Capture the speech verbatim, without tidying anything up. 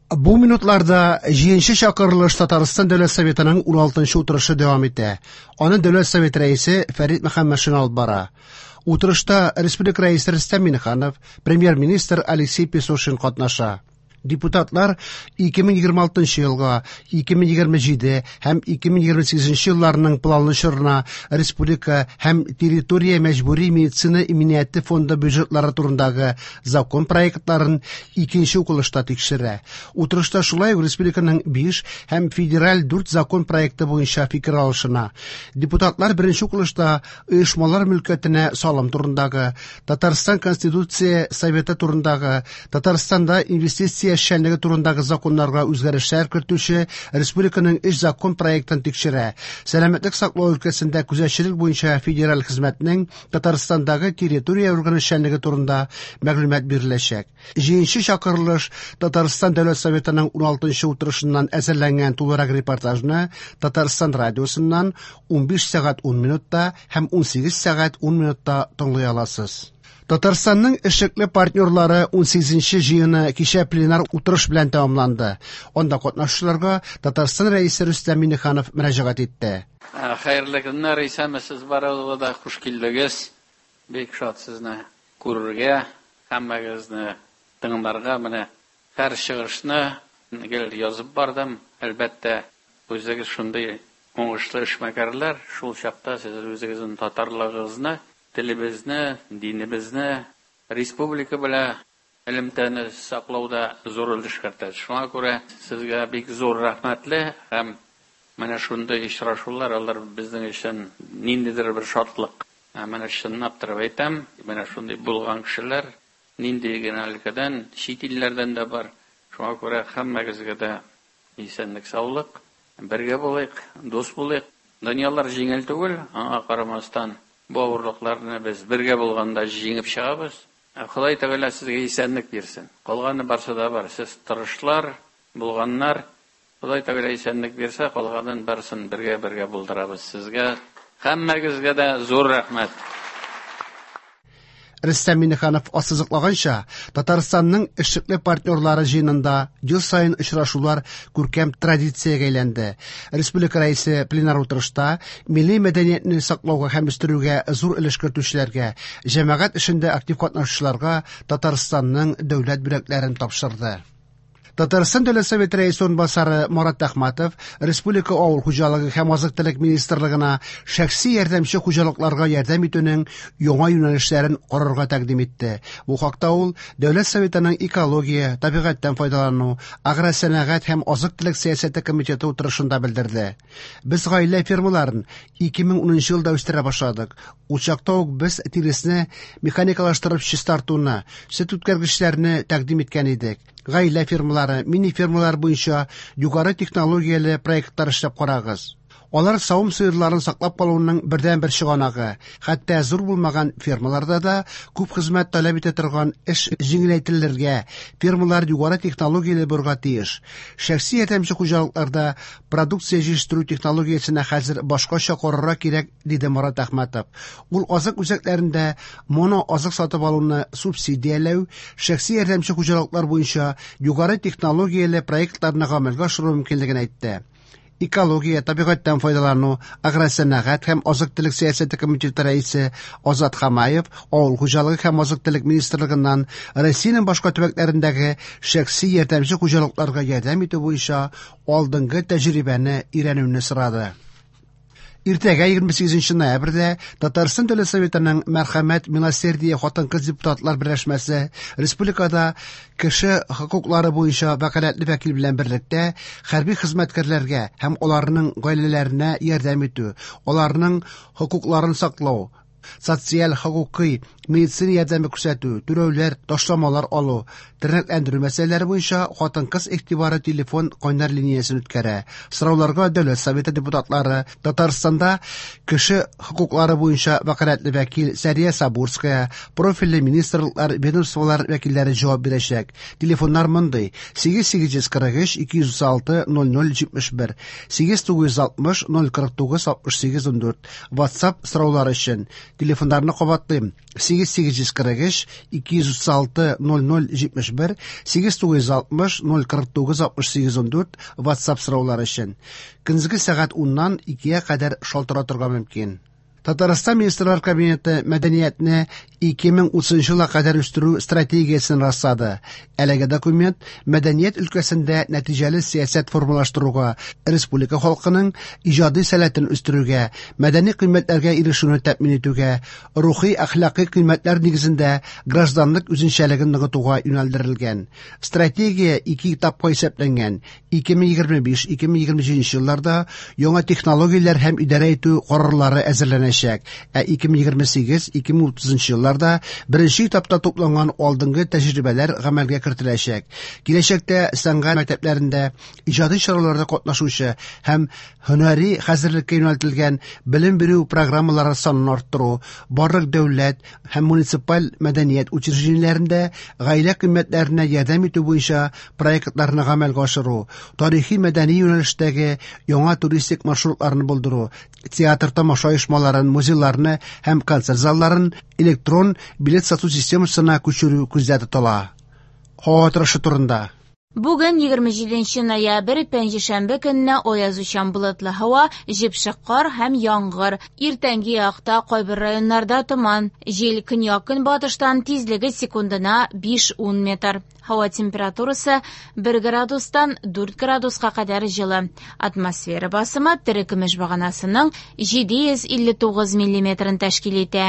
Бу минутларда җиденче чакырылыш Татарстан Дәүләт Советының уналтынчы утырышы дәвам итә. Аны Дәүләт Советы рәисе Фәрит Мөхәммәтшин алып бара. Утырышта Республика рәисе Рөстәм Миңнеханов, премьер-министр Алексей Песошин катнаша. Депутатлар ике мең егерме алтынчы елга, ике мең егерме җиде һәм ике мең егерме сигезенче елларның планлы чорына республика һәм территория мәҗбүри медицина иминияте фонды бюджетлары турындагы закон проектларын икенче укылышта тикшерә. Утырышта шулай ук республиканың биш һәм федераль дүрт закон проекты буенча фикер алышына. Депутатлар беренче укылышта оешмалар мөлкәтенә салым турындагы, Татарстан Конституция Советы турындагы, Татарстанда инвестиция эшчәнлеге турындагы законнарга үзгәрешләр кертүче республиканың өч закон проектын тикшерә. Сәламәтлек саклау өлкәсендә күзәтчелек буенча федераль хезмәтнең Татарстандагы территория органы эшчәнлеге турында мәгълүмат биреләчәк. Җиденче чакырылыш Татарстан Дәүләт Советының уналтынчы утырышыннан әзерләнгән тулырак репортажны Татарстан радиосыннан унбиш сәгать ун минутта һәм унсигез сәгать ун минутта тыңлый аласыз. Татарстанның эшлекле партнерлары унсигезенче җыены кичә пленар утырыш белән тәмамланды. Анда катнашучыларга Татарстан рәисе Рөстәм Миңнеханов мөрәҗәгать итте. Хәерле көннәр, исәнмесез барыгызга да, хуш килдегез. Бик шат сезне күрергә, һәммәгезне тыңларга. Менә һәр чыгышны гел язып бардым. Әлбәттә, үзегез шундый уңышлы эшмәкәрләр, шул чакта сез үзегезнең татарлыгыгызны, телебезне, динебезне, республика белән элемтәне саклауда зур өлеш кертәсез. Шуңа күрә сезгә бик зур рәхмәтле һәм менә шундый очрашулар алар безнең өчен ниндидер бер шатлык. Ә менә чынлап торып әйтәм, менә шундый булган кешеләр нинди генә өлкәдән, чит илләрдән дә бар. Шуңа күрә һәммәгезгә дә исәнлек, саулык, бергә булыйк, дус булыйк. Дөньялар җиңел түгел, аңа карамастан бу авырлыкларны без бергә булганда җиңеп чыгабыз. Ходай Тәгалә сезгә исәнлек бирсен. Калганы барсы да бар. Сез тырышлар, булганнар. Ходай Тәгалә исәнлек бирсә, калганын барсын бергә-бергә булдырабыз. Сезгә һәммәгезгә дә зур рәхмәт. Рөстәм Миңнеханов ассызыклаганча, Татарстанның эшлекле партнерлары җыенында ел саен очрашулар күркәм традициягә әйләнде. Республика рәисе пленар утырышта милли мәдәниятне саклауга һәм үстерүгә зур өлеш кертүчеләргә, җәмәгать эшендә актив катнашучыларга Татарстанның дәүләт бүләкләрен тапшырды. Татарстан Дәүләт Советы рәисе урынбасары Марат Әхмәтов Республика Авыл хуҗалыгы һәм азык-төлек министрлыгына шәхси ярдәмче хуҗалыкларга ярдәм итүнең яңа юнәлешләрен карарга тәкъдим итте. Бу хакта ул Дәүләт Советының экология, табигатьтән файдалану, агросәнәгать һәм азык-төлек сәясәте комитеты утырышында белдерде. Без гаилә фермаларын ике мең унынчы елда үстерә башладык. Ул чакта ук без тиресне механикалаштырып чистартуны, сөт үткәргечләрне тәкъдим иткән идек. Гаилә фермалары, мини-фермалар буенча югары технологияле проектлар эшләп карагыз. Алар савым сыерларын саклап калуның бердәнбер чыганагы. Хәтта зур булмаган фермаларда да күп хезмәт таләп итә торган эш җиңеләйтелергә, фермалар югары технологияле булырга тиеш. Шәхси ярдәмче хуҗалыкларда продукция җитештерү технологиясенә хәзер башкача карарга кирәк, диде Марат Әхмәтов. Ул азык үзәкләрендә моно азык сатып алуны субсидияләү, шәхси ярдәмче хуҗалыклар буенча югары технологияле проектларны гамәлгә ашыру мөмкинлеген әйтте. Экология, табигатьтән файдалану, агросәнәгать һәм азык-төлек сәясәте комитеты рәисе Азат Хамаев Авыл хуҗалыгы һәм азык-төлек министрлыгыннан Россиянең башка төбәкләрендәге шәхси ярдәмче хуҗалыкларга ярдәм итү буенча алдынгы тәҗрибәне өйрәнүне сорады. Иртәгә егерме сигезенче ноябрьдә Татарстан Дәүләт Советының Мәрхәмәт Милосердие хатын-кыз депутатлар берләшмәсе республикада кеше хокуклары буенча вәкаләтле вәкил белән берлектә хәрби хезмәткәрләргә һәм аларның гаиләләренә ярдәм итү, аларның хокукларын саклау, социаль хокукый медицина ярдәме күрсәтү, түләүләр, ташламалар алу, тернәкләндерү мәсьәләләре буенча хатын-кыз игътибары телефон кайнар линиясен үткәрә. Сорауларга Дәүләт Советы депутатлары, Татарстанда кеше хокуклары буенча вәкаләтле вәкил Сәрия Сабурская, профильле министрлыклар, ведомстволар вәкилләре җавап бирәчәк. Телефоннар мондый: сигез сигез йөз кырык өч, ике йөз алты, ноль ноль җитмеш бер, сигез тугыз йөз алтмыш, ноль кырык тугыз, алтмыш сигез, ун дүрт. WhatsApp сораулар өчен Телефоннарны кабатлыйм: сигез сигез йөз кырык өч ике йөз утыз алты ноль ноль җитмеш бер, сигез тугыз йөз алтмыш ноль кырык тугыз алтмыш сигез ундүрт WhatsApp сораулар өчен. Көндезге сәгать уннан икегә кадәр шалтыратырга мөмкин. Татарстан Министрлар Кабинеты мәдәниятне ике мең утызынчы елга кадәр үстерү стратегиясен раслады. Әлеге документ мәдәният өлкәсендә нәтиҗәле сәясәт формалаштыруга, республика халкының иҗади сәләтен үстерүгә, мәдәни кыйммәтләргә ирешүне тәэмин итүгә, рухи әхлакый кыйммәтләр нигезендә гражданлык үзенчәлеген ныгытуга юнәлдерелгән. Стратегия ике этапка исәпләнгән. ике мең егерме биш - ике мең егерме җиденче елларда яңа технологияләр һәм идарә итү карарлары әзерләнәчәк, ә ике мең егерме сигез - ике мең утызынчы елларда беренче этапта тупланган алдынгы тәҗрибәләр гамәлгә кертеләчәк. Киләчәктә сәнгать мәктәпләрендә иҗади чараларда катнашучы һәм һөнәри хәзерлеккә юнәлтелгән белем бирү программалары санын арттыру, барлык дәүләт һәм муниципаль мәдәният учреждениеләрендә гаилә кыйммәтләренә ярдәм итү буенча проектларны гамәлгә ашыру, тарихи мәдәни юнәлештәге яңа туристик маршрутларны булдыру, театр тамаша оешмаларын, музейларны һәм концерт залларын электрон билет сату системасына күчерү күздә тотыла. Һава торышы турында. Бүген егерме җиденче ноябрь, пәнҗешәмбе көненә аязучан болытлы һава, җепшек кар һәм яңгыр. Иртәнге якта кайбер районнарда томан. Җил көньяк-көнбатыштан, тизлеге секундына биш-ун метр. Һава температурасы бер градустан дүрт градуска кадәр җылы. Атмосфера басымы терекөмеш баганасының җиде йөз илле тугыз миллиметрын тәшкил итә.